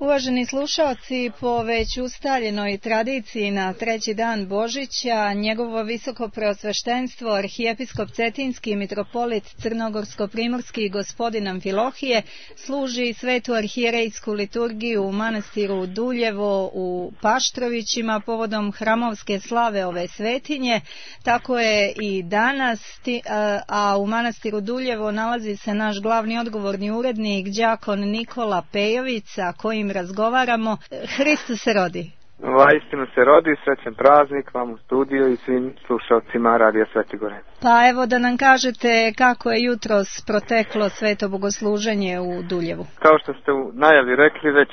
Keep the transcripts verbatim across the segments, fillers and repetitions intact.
Uvaženi slušaoci, po već ustaljenoj tradiciji na treći dan Božića, njegovo visoko preosveštenstvo, arhijepiskop Cetinski mitropolit Crnogorsko-primorski gospodin Amfilohije, služi svetu arhijerejsku liturgiju u manastiru Duljevo u Paštrovićima povodom hramovske slave ove svetinje. Tako je i danas, a u manastiru Duljevo nalazi se naš glavni odgovorni urednik, đakon Nikola Pejović, sa kojim razgovaramo. Hristos se rodi. Vaistinu se rodi, srećan praznik vam u studiju i svim slušalcima Radija Sveti Gore. Pa evo da nam kažete kako je jutros proteklo sveto bogosluženje u Duljevu. Kao što ste u najavi rekli, već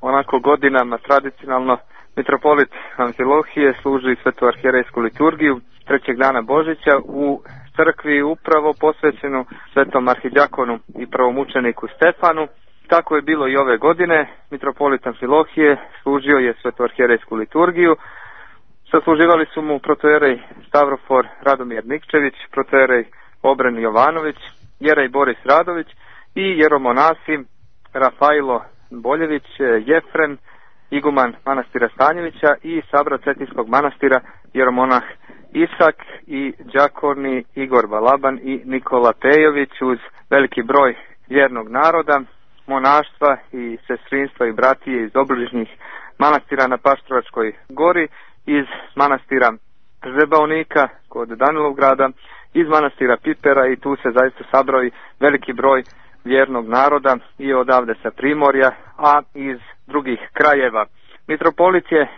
onako godinama tradicionalno mitropolit Amfilohije služi svetu arhijerejsku liturgiju trećeg dana Božića u crkvi upravo posvećenu svetom arhidjakonu i prvomučeniku Stefanu. Tako je bilo i ove godine. Mitropolit Amfilohije služio je svetu arhijerejsku liturgiju. Sasluživali su mu protojerej Stavrofor Radomir Nikčević, protojerej Obren Jovanović, jerej Boris Radović i jeromonasi Rafailo Boljević, Jefrem, iguman manastira Stanjevića i sabra Cetinskog manastira jeromonah Isak i đakoni Igor Balaban i Nikola Pejović uz veliki broj vjernog naroda, monaštva i sestrinstva i bratije iz obližnjih manastira na Paštrovačkoj gori, iz manastira Žebaonika kod Danilovgrada, iz manastira Pipera, i tu se zaista sabrao i veliki broj vjernog naroda i odavde sa Primorja, a iz drugih krajeva. Mitropolit je,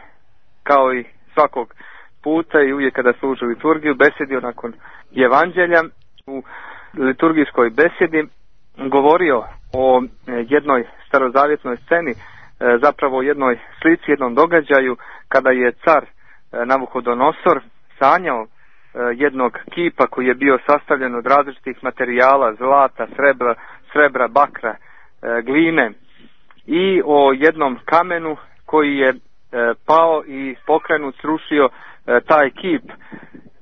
kao i svakog puta i uvijek kada služi liturgiju, besedio nakon evanđelja. U liturgijskoj besedi govorio o jednoj starozavjetnoj sceni, zapravo o jednoj slici, jednom događaju kada je car Navuhodonosor sanjao jednog kipa koji je bio sastavljen od različitih materijala, zlata, srebra, srebra, bakra, gline, i o jednom kamenu koji je pao i pokrenut, srušio taj kip.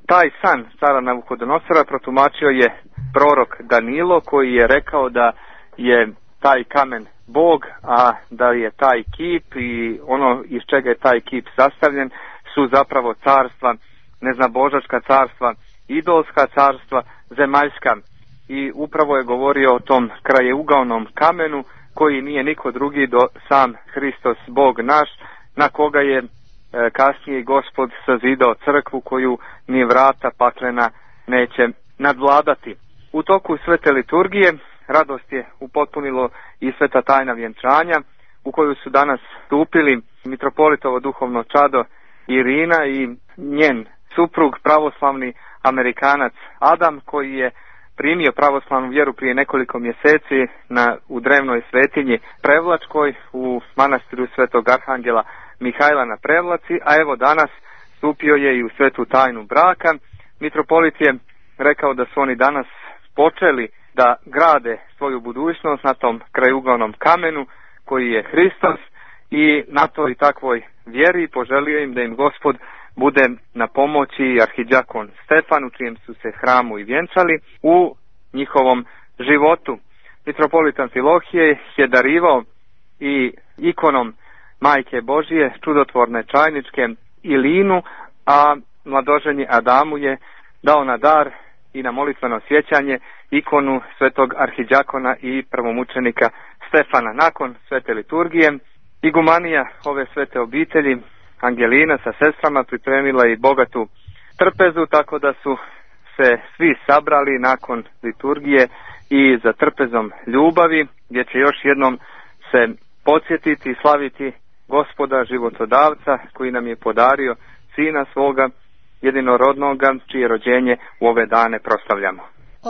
Taj san cara Navuhodonosora protumačio je prorok Danilo, koji je rekao da je taj kamen Bog, a da je taj kip i ono iz čega je taj kip sastavljen su zapravo carstva, neznabožačka carstva, idolska carstva, zemaljska. I upravo je govorio o tom krajeugaonom kamenu koji nije niko drugi do sam Hristos Bog naš, na koga je e, kasnije Gospod sazidao crkvu koju ni vrata paklena neće nadvladati. U toku svete liturgije radost je upotpunilo i sveta tajna vjenčanja, u koju su danas stupili mitropolitovo duhovno čado Irina i njen suprug, pravoslavni Amerikanac Adam, koji je primio pravoslavnu vjeru prije nekoliko mjeseci na, u drevnoj svetinji Prevlačkoj u manastiru Svetog Arhangela Mihajla na Prevlaci, a evo danas stupio je i u svetu tajnu braka. Mitropolit je rekao da su oni danas počeli da grade svoju budućnost na tom krajugaonom kamenu koji je Hristos, i na toj takvoj vjeri poželio im da im Gospod bude na pomoći arhidjakon Stefan, u čijem su se hramu i vjenčali, u njihovom životu. Mitropolit Amfilohije je darivao i ikonom Majke Božije, čudotvorne čajničke Ilinu, a mladoženji Adamu je dao na dar i na molitveno sjećanje ikonu svetog arhidjakona i prvomučenika Stefana. Nakon svete liturgije igumanija ove svete obitelji, Angelina sa sestrama, pripremila i bogatu trpezu, tako da su se svi sabrali nakon liturgije i za trpezom ljubavi, gdje će još jednom se podsjetiti i slaviti Gospoda životodavca koji nam je podario sina svoga jedinorodnoga, čije rođenje u ove dane proslavljamo.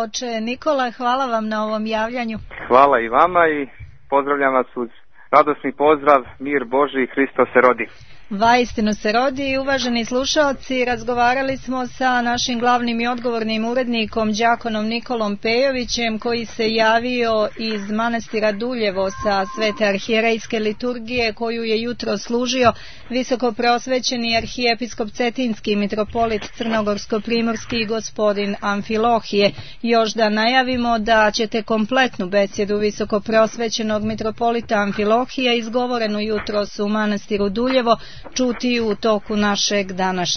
Oče Nikola, hvala vam na ovom javljanju. Hvala i vama i pozdravljam vas uz radosni pozdrav, mir Božji, Hristos se rodi. Vaistinu se rodi. Uvaženi slušaoci, razgovarali smo sa našim glavnim i odgovornim urednikom đakonom Nikolom Pejovićem, koji se javio iz manastira Duljevo sa svete arhijerejske liturgije koju je jutro služio visokopreosvećeni arhijepiskop Cetinski mitropolit Crnogorsko-primorski gospodin Amfilohije. Još da najavimo da ćete kompletnu besjedu visokopreosvećenog mitropolita Amfilohije izgovorenu jutros u manastiru Duljevo čuti u toku našeg današnjeg